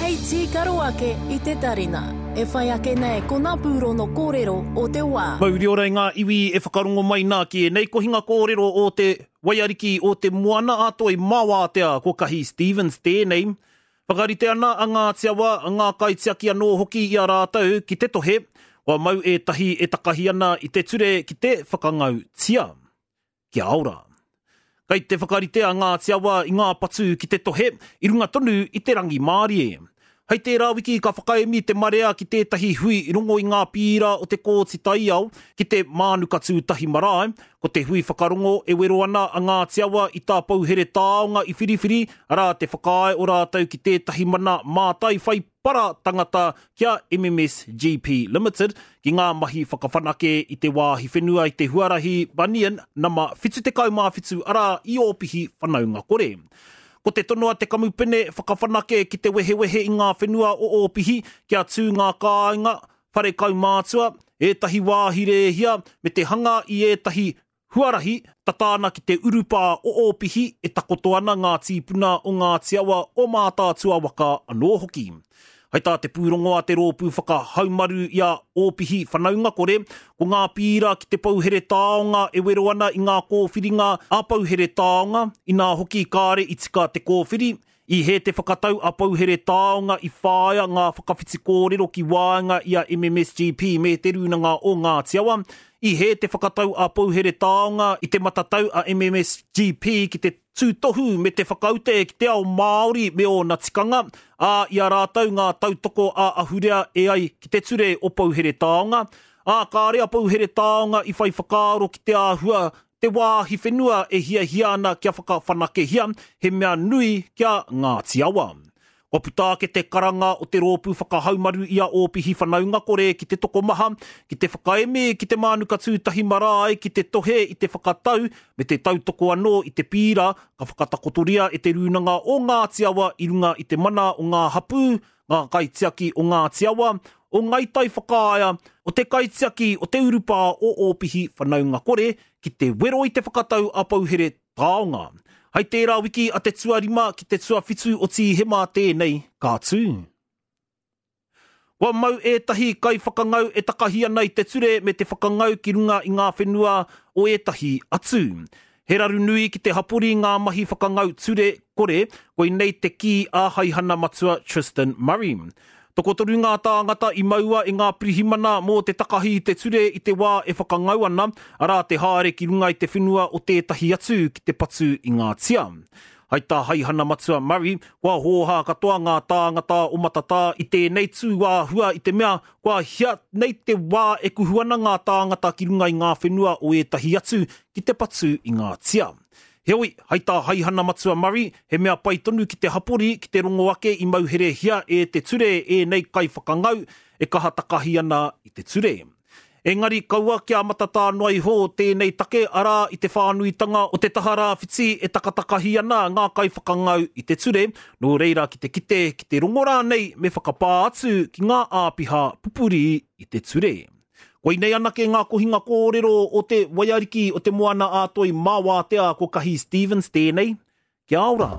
Hei tīkaro ake i te tarina. E whai ake nei ko ngā pūrono kōrero o te wā. Mauri ora i ngā iwi e whakarongo mai nā ki ēnei kohinga kōrero o te Waiariki o te Moana a Toi Mawātea ko Kahi Stevens tēnei. Whakarite ana a Ngāti Awa, ngā kaitiaki anō hoki i a rātou ki te tohe, kua mau ētahi e takahi ana i te ture ki te whakangau tia. Kia ora. Kei te whakarite a Ngāti Awa i ngā patu ki te tohe i runga tonu i te rangimārie. Hei tērā wiki ka whakaemi te marea ki tētahi hui rongo i ngā pīra o te Kōti Taiao ki te Mānuka Tūtahi Marae. Ko te hui whakarongo e wero ana a Ngāti Awa i tā Pouhere Taonga i whiriwhiri, arā te whakaae o rātou ki tētahi mana mātai whai para tangata ki a MMSGP Limited ki ngā mahi whakawhanake i te wāhi whenua i te huarahi Bunyan nama 77 arā i Ōpihi whanaungakore. Ko te tono a te kamupene whakawhanake ki te wehewehe i ngā whenua o Ōpihi kia tū ngā kāinga, whare kaumātua, ētahi wāhi rēhia me te hanga i ētahi Huarahi, tata ana ki te urupā o Ōpihi e takoto ana ngā tīpuna o Ngāti Awa, o Mātaatua waka anō hoki. Hai tā te pūrongo a te Rōpū Whakahaumaru i a Ōpihi Whanaungakore, ko ngā pīra ki te Pouhere Taonga e wero ana i ngā kōwhiringa a Pouhere Taonga, inā hoki kāre i tika te kōwhiri, I hē te whakatau a Pouhere Taonga i whāia ngā whakawhiti kōrero ki waenga i a MMSGP me Te Rūnanga o Ngāti Awa. I hē te whakatau a Pouhere Taonga i te matatau a MMSGP ki te tūtohu me te whakaute ki te ao Māori me ōna tikanga, ā, i a rātou ngā tautoko ā-ahurea e ai ki te ture o Pouhere Taonga, ā, kāre a Pouhere Taonga i whai whakaaro ki te āhua te wāhi whenua e hiahia ana kia whakawhanakehia, he mea nui ki a Ngāti Awa. Kua puta ake te karanga o te rōpū whakahaumaru i a Ōpihi Whanaungakore ki te tokomaha, ki te whakaemi ki te Mānuka Tūtahi Marae ki te tohe i te whakatau me te tautoko anō i te pīra ka whakatakotoria e Te Rūnanga o Ngāti Awa i runga i te mana o ngā hapū, ngā kaitiaki o Ngāti Awa, o Ngai Tai Whakaea, o te kaitiaki o te urupā o Ōpihi Whanaungakore ki te wero i te whakatau a Pouhere Taonga. Hai tērā wiki a te tuarima ki te tuawhitu o Tīhema tēnei ka tū. Kua mau ētahi kaiwhakangau e takahi ana i te ture me te whakangau ki runga i ngā whenua o ētahi atu. He raru nui ki te hapori ngā mahi whakangau ture kore, koinei te kī a Haihana Matua Tristan Murray. Tokotoru ngā tāngata i maua e ngā pirihimana mō te takahi i te ture i te wā e whakangau ana, arā te haere ki runga i te whenua o tētahi atu ki te patu i ngā tia. Hai tā Haihana Matua Murray, kua hōhā katoa ngā tāngata o Matatā i tēnei tūāhua i te mea Kua hia nei te wā e kuhu ana ngā tāngata ki runga i ngā whenua o ētahi atu ki te patu i ngā tia. Heoi, hai tā Haihana Matua Murray, he mea pai tonu ki te hapori ki te rongo ake i mauherehia e te ture ēnei kaiwhakangau e kaha takahi ana i te ture. Engari kaua kia matatā noa iho tēnei take, arā, i te whānuitanga o te taha rāwhiti e takatakahi ana ngā kaiwhakangau i te ture, nō reira ki te kite, ki te rongo rānei me whakapā atu ki ngā āpiha pupuri i te ture. Koinei anake ngā kohinga kōrero o te waiariki o te Moana-a-Toi mā Wātea ko Kahi Stevens tēnei. Kia ora!